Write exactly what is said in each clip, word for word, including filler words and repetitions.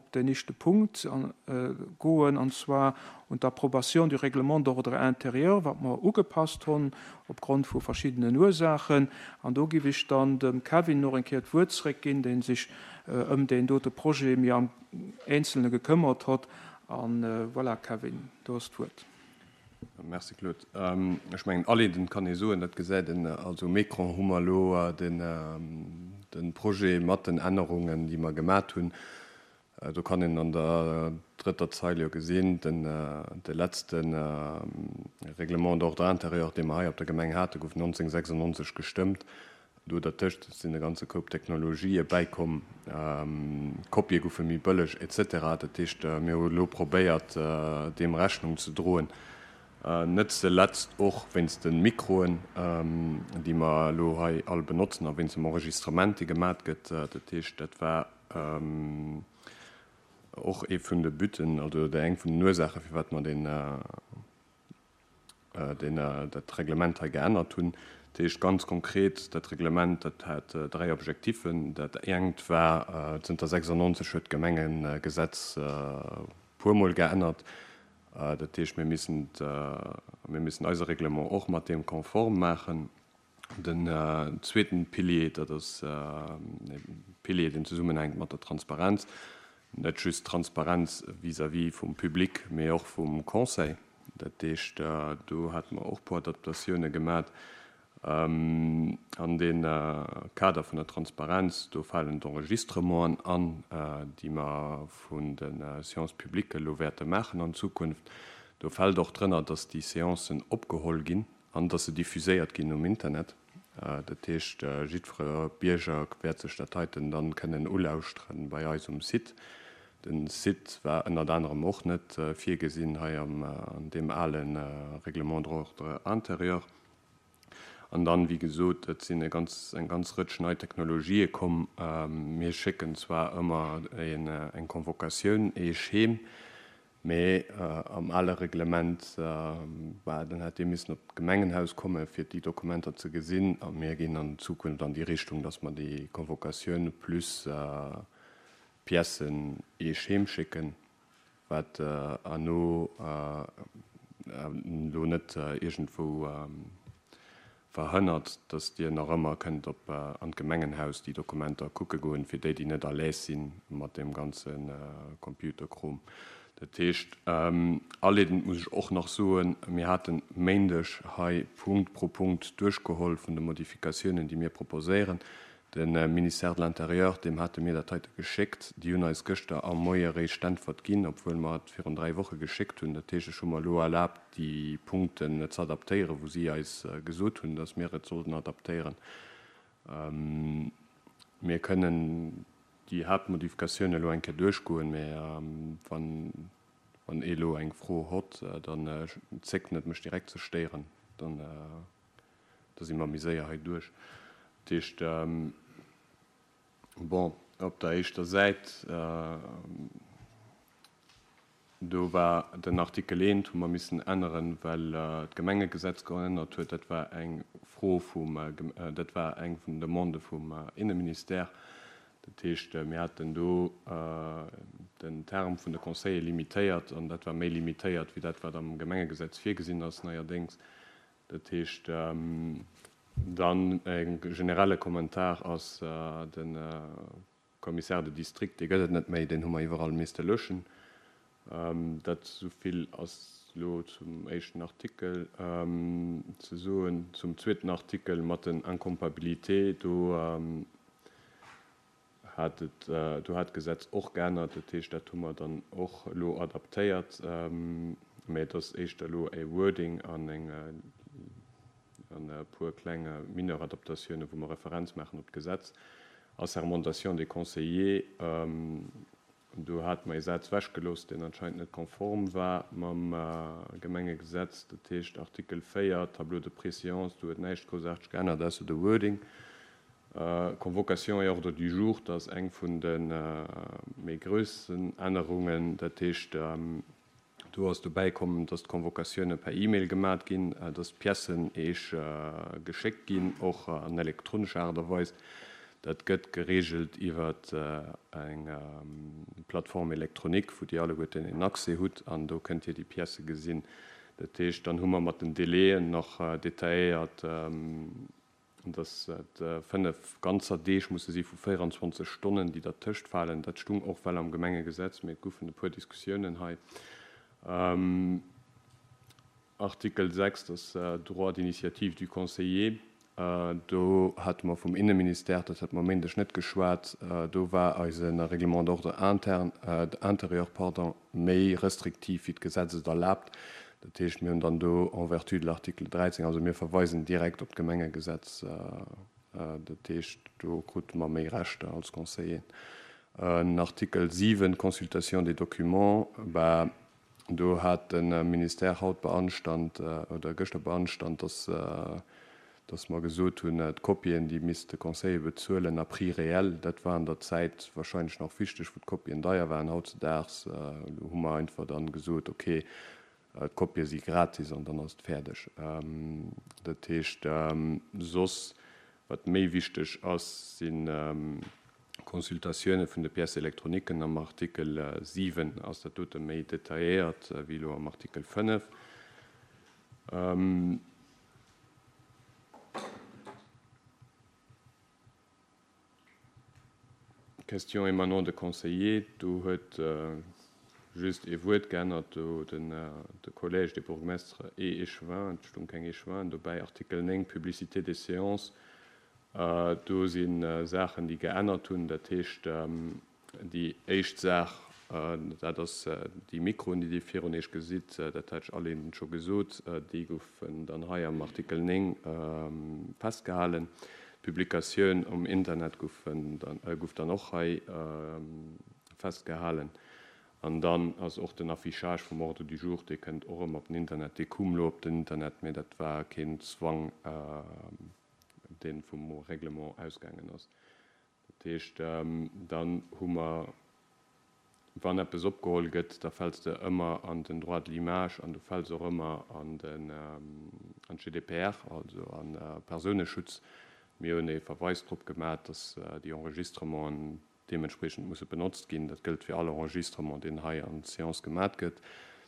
op den éischte Punkt goen, an zwar un d'Approbation du Règlement d'ordre intérieur, wat mer ugepasst hunn opgrond vu verschiddenen Ursaachen. An do giff ech dann dem Kevin nach eng Kéier d'Wuert zréckginn, dee sech ëm deen dote Projet méi am Eenzelne gekëmmert huet. An voilà, Kevin, du hues d'Wuert. Merci Claude. Ech mengen, aleedend kann ee soen, dat gesäit een also um Ecran, hu mer elo de Projet mat den Ännerungen, déi mer gemat hunn. Do kann een an der drëtter Zeil jo gesinn, den de letzte Règlement d'ordre intérieur, dee mer hei op der Gemeng haten, gouf neunzehnhundertsechsundneunzeg gestëmmt. Do dertëscht sinn e ganze Koup Technologië bäikomm, Kopië goufe méi bëlleg, et cetera. Dat heescht, mir hu elo probéiert, deem Rechnung ze droen, net zeletzt och wéinst de Mikroen, déi mer elo hei all benotzen, a wéinst dem Enregistrement, dee gemat gëtt. Dat heescht, dat war och ee vun de Butten, also eng vun den Ursaachen, firwat mer deen, deen dat Reglement hei geännert hunn. Dat heescht ganz konkret, dat Reglement, dat hat dräi Objektiffen. Dat engt war, zënter sechsundneunzeg huet d'Gemengegesetz puermol geännert. Dat heescht, mir missen, mir missen eise Reglement och mat deem konform maachen. Den zweeten Pilier, dat ass e Pilier, deen zesummenhänkt mat der Transparenz. Net just Transparenz vis-à-vis vum Public, mee och vum Conseil. Dat heescht, do hate mer och puer Adaptatioune gemat. An dee Kader vun der Transparenz, do falen d'Enregistrementen an, déi mer vun de Séances publiques elo wäerte maachen an Zukunft. Do fält och drënner, dass déi Séancen opgeholl ginn an dass se diffuséiert ginn um Internet. Dat heescht, jiddwer Bierger wäert sech dat heiten dann kënnen ulauschteren bei eis um Site. Den Site war ënnert anerem och net virgesinn hei an deem ale Règlement d'ordre intérieur. An dann, wéi gesot, et sinn e ganz, eng ganz Rëtsch nei Technologië komm. Mir schécken zwar ëmmer eng Convocatioun eech heem, mee am ale Reglement war, dann hätt Dir missen op d'Gemengenhaus komme fir déi Dokumenter ze gesinn. A mir ginn an Zukunft an déi Richtung, dass mer déi Convocatioun plus Piècen eech heem schécken, wat herno elo net iergendwou verhënnert, dass Dir nach ëmmer kënnt op an d'Gemengenhaus déi Dokumenter kucke goen, fir déi, déi net à l'aise si mat deem ganze Computerkrom. Dat heescht, aleedend muss ech och nach soen, mir haten Méindeg hei Punkt pro Punkt duerchgeholl vun de Modifikatiounen, déi mir proposéieren. De Ministère de l'Intérieur, deem hate mir dat heite geschéckt. Déi hunn eis gëschter am Moie eréischt d'Äntwert ginn, obwuel mer et virun dräi Woche geschéckt hunn. Dat heescht, ech hu mer elo erlaabt, déi Punkten ze adaptéieren, wou si eis gesot hunn, dass mir et sollten adaptéieren. Mir kënnen déi Haaptmodifikatioune elo eng Kéier duerchgoen, mä wann wann ee elo eng Fro hott, dann zéckt net, mech direkt ze stéieren, dann da si mer méi séier hei duerch. Dat heescht, bon, op der éischter Säit, do war den Artikel eent, hu mer missen änneren, well d'Gemengegesetz geännert huet. Dat war eng Fro vum, dat war eng vun den Demandë vum Inneministère. Dat heescht, mir haten do den Term vun de Conseiller limitéiert, an dat war méi limitéiert wéi dat, wat am Gemengegesetz virgesinn ass neierdéngs. Dat heescht, dann e generelle Kommentar ass de Commissaire de district, dee gëtt et net méi, deen hu mer iwwerall misste löschen. Dat esouvill ass elo zum éischten Artikel ze soen. Zum zweeten Artikel mat den Incompatibilités, do hat et, do hat d'Gesetz och geännert. Dat heescht, dat hu mer dann och elo adaptéiert, mä et ass éischter elo e Wording an eng an e puer kleng mineur Adaptatiounen, wou mer Referenz maachen op d'Gesetz. Assermentation des conseillers, do hate mer ee Saz wechgelooss, deen anscheinend net konform war mam Gemengegesetz. Dat heescht, Artikel véier, Tableau de préséance, do huet näischt groussaarteg geännert, ausser de Wording. Convocation et ordre du jour, dat ass eng vun de méi groussen Ännerungen. Dat heescht, do ass dobäi komm, dass d'Convocatioune per E-Mail gemat ginn, dass d'Piècen eech geschéckt ginn, och an elektronescher Aart a Weis. Dat gëtt gereegelt iwwer eng Plateforme électronique, wou Dir alleguerten en Accès hutt an do kënnt Dir déi Piècë gesinn. Dat heescht, dann hu mer mat den Délaiën nach detailléiert, dass et fënnef ganzer Deeg musse si vu véierundzwanzeg Stonnen, déi dertëscht falen. Dat stung och well am Gemengegesetz, mee et goufen e puer Diskussiounen hei. Artikel sechs, das Droit d'initiative du conseiller. Do hate mer vum Inneministère, dat hat mer Méindeg net geschwat, do war eise Règlement d'ordre interne, intérieur, pardon, méi restriktiv wéi d'Gesetz et erlaabt. Dat heescht, mir hunn dann do en vertu de l'article dräizéng, also mir verweisen direkt op d'Gemengegesetz, dat heescht, do krute mer méi Rechter als Conseilleren. En Artikel siwen, Consultation des documents, bah, do hat de Ministère haut beanstand oder gëschter beanstand, dass, dass mer gesot hunn, d'Kopien, déi misst de Conseiller bezuelen à prix réel. Dat war an der Zäit wahrscheinlech nach wichteg, wou d'Kopien deier waren. Hautzedaags hu mer einfach dann gesot, okay, d'Kopie si gratis an dann ass et fäerdeg. Dat heescht, soss, wat méi wichteg ass, si Consultatioune vun de Pièces électroniquen. Am Artikel siwen ass dat dote méi detailléiert wéi elo am Artikel fënnef. Questions émanant de conseillers, do huet just ee Wuert geännert, do den de Collège des bourgmestres et échevins, et stung keng Échevinen dobäi. Artikel néng, Publicité des séances, do si Saachen, déi geännert hunn. Dat heescht, déi éischt Saach, dat ass déi Mikroen, déi Dir virun Iech gesitt, dat hat ech aleedend scho gesot, déi goufen dann hei am Artikel néng festgehalen. D'Publikatioun um Internet gouf dann och hei festgehalen. An dann ass och den Affichage vum Ordre du jour, dee kënnt och erëm op den Internet. Dee koum elo op den Internet, mee dat war keen Zwang, dee vum Règlement ausgaangen ass. Dat heescht, dann hu mer, wann eppes opgeholl gëtt, da fäls de ëmmer an den Droit de l'image an du fäls och ëmmer an den, an d'G D P R, also an Persouneschutz. Mir hunn ee Verweis drop gemaach, dass déi Enregistrementen deementspriechend musse benotzt ginn. Dat gëllt fir all Enregistrement, deen hei an Séance gemaach gëtt.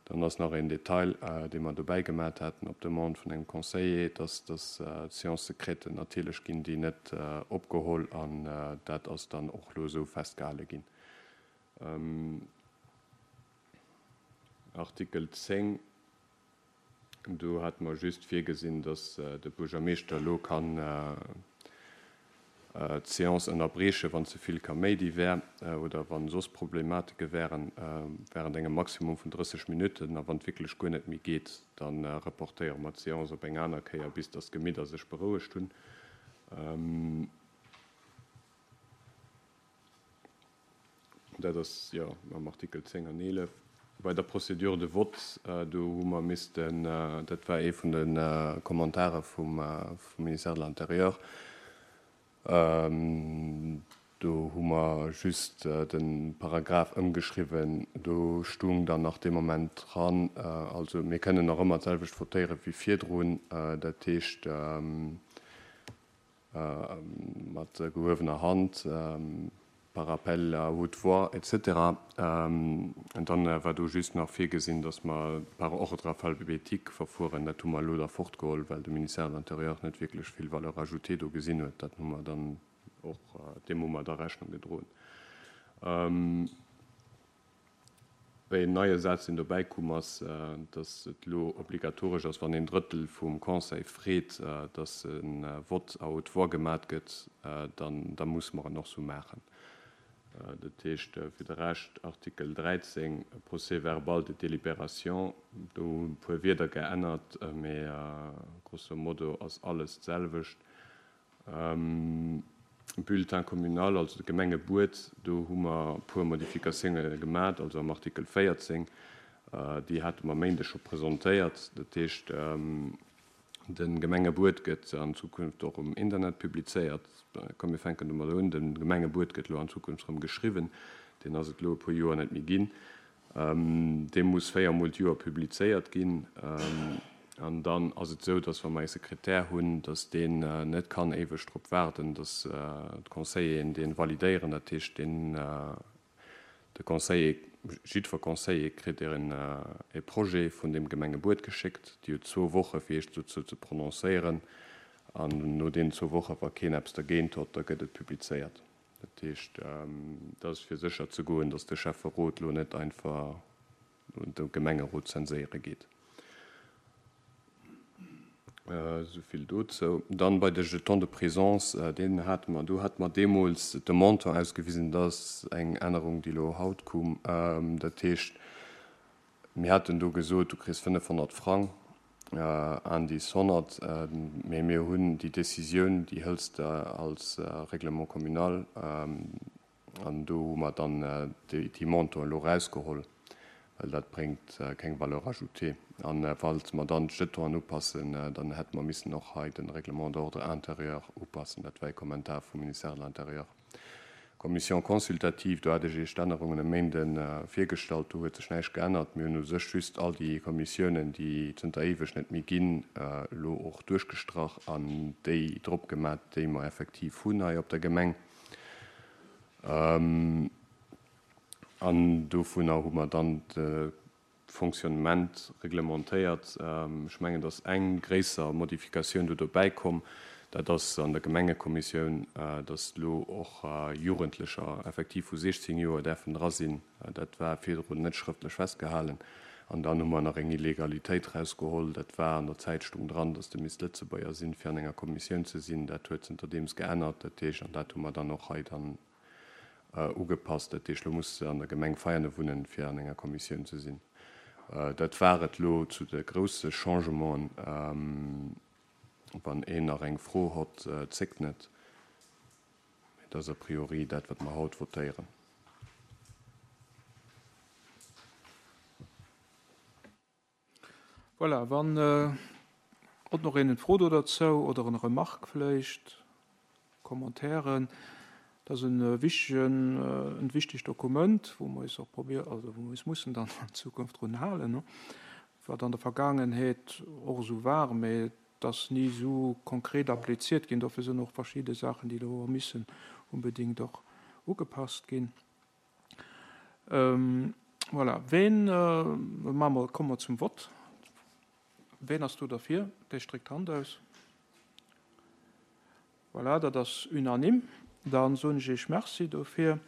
Dann ass nach een Detail, dee mer dobäi gemaach haten op Demande vun engem Conseiller, dass dass d'Séance secrète natierlech ginn déi net opgeholl an dat ass dann och elo esou festgehale ginn. Artikel zéng, do hate mer just virgesinn, dass de Buergermeeschter elo kann d'Séance ënnerbriechen, wann ze vill Kaméidi wär oder wann soss Problematike wären, während engem Maximum vun drësseg Minutten. A wann et wierklech guer net méi geet, dann reportéiere mer d'Séance op eng aner Kéier, bis dass d'Gemidder sech berouegt hunn. Dat ass jo am Artikel zéng an eelef. Bei der Procédure de vote, do hu mer missten, dat war ee vun de Kommentare vum Ministère de l'Intérieur, do hu mer just de Paragraph ëmgeschriwwen, do stung dann nach dee Moment dran, also mir kënnen nach ëmmer d'selwecht votéiere wéi virdrun, dat heescht mat gehuewener Hand, par appel à haute voix, et cetera. An dann war do just nach virgesinn, dass mer par ordre alphabétique verfueren. Dat hu mer elo da fortgeholl, well de Ministère de l'Intérieur net wierklech vill Valeur ajoutée do gesinn huet. Dat hu mer dann och, deem hu mer da Rechnung gedroen. Wéi en neie Saz, deen dobäi koum, ass, dass et elo obligatoresch ass, wann een Drëttel vum Conseil freet, dass e Vote à haute voix gemat gëtt, dann, da muss mer en och sou maachen. Dat heescht, fir de Rescht, Artikel dräizéng, Procès-verbal de délibération, do hu e puer Wierder geännert, mee grosso modo ass alles d'selwecht. Bulletin communal, also de Gemengebuet, do hu mer e puer Modifikatioune gemat, also am Artikel véierzéng, déi hate mer Méindeg scho presentéiert. Dat heescht, de Gemengebuet gëtt an Zukunft och um Internet publizéiert. Komm, mir fänken domat un. De Gemengebuet gëtt elo an Zukunft erëm geschriwwen. Deen ass et elo e puer Joer net méi ginn. Dee muss véiermol d'Joer publizéiert ginn. An dann ass et esou, dass wa mer ee Sekretär hunn, dass deen net kann éiweg drop waarden, dass d'Conseilleren dee validéieren. Dat heescht, deen, de Conseiller, jiddwer Conseiller kritt e Projet vun dem Gemengebuet geschéckt. Déi huet zwou Woche fir sech dozou ze prononcéieren. An no deenen zwou Woche, wa keen eppes dergéint huet, da gëtt et publizéiert. Dat heescht, dat ass fir sécher ze goen, dass de Schäfferot elo net einfach de Gemengerot zenséiere geet. Esou vill dozou. Dann bei de Jetons de présence, deen hate mer, do hate mer deemools de Montant ausgewisen, dat ass eng Ännerung, déi elo haut koum. Dat heescht, mir haten do gesot, du kriss fënnefhonnert Frang, Indice honnert, mee mir hunn déi Décisioun, déi hëls de als Règlement communal, an do hu mer dann déi Montanten elo erausgeholl, well dat bréngt keng Valeur ajoutée. An falls mer dann d'Jetonen upassen, dann hätte mer missen och hei de Règlement d'ordre intérieur upassen. Dat war e Kommentar vum Ministère de l'Intérieur. Commission consultative, do hat ech Iech d'Ännerungen e Méinden virgestallt, do huet sech näischt geännert. Mir hunn u sech just all déi Kommissiounen, déi zënter éiweg net méi ginn, elo och duerchgestrach an déi drop gemat, déi mer effektiv hunn hei op der Gemeng. An dovunner hu mer dann de Fonctionnement reglementéiert. Ech mengen, dass eng gréisser Modifikatioun do dobäi komm, dat ass an der Gemengekommissioun, dass elo och Jugendlecher effektiv vu siechzéng Joer däerfen dra sinn. Dat war virdrun net schrëftlech festgehalen. An dann hu mer nach eng Illegalitéit erausgeholl. Dat war an der Zäit stung dran, dass de misst Lëtzebuerger sinn, fir an enger Kommissioun ze sinn. Dat huet zënterdeems geännert. Dat heescht, an dat hu mer dann och hei dann ugepasst. Dat heescht, elo muss de an der Gemeng Veianen wunnen, fir an enger Kommissioun ze sinn. Dat war et elo zu de grousse Changementen. Wann een nach eng Fro hott, zéckt net. Mee dat ass a priori dat, wat mer haut votéieren. Voilà, wann hott nach een eng Fro do derzou oder eng Remarque vläicht, Commentairen. Dat ass e wichtegen, en wichtegt Dokument, wou mer eis och probier-, also wou mer eis mussen dann an Zukunft drun halen, wat an der Vergaangenheet och esou war, mee et ass ni esou konkret appliziert ginn. Dofir sinn och verschidde Saachen, déi do missen unbedéngt och ugepasst ginn. Voilà, ween, maache mer, komme mer zum Vott. Ween ass do derfir? Dee stréckt d'Hand aus. Voilà, dat ass unanime. Dann soen ech Iech Merci dofir.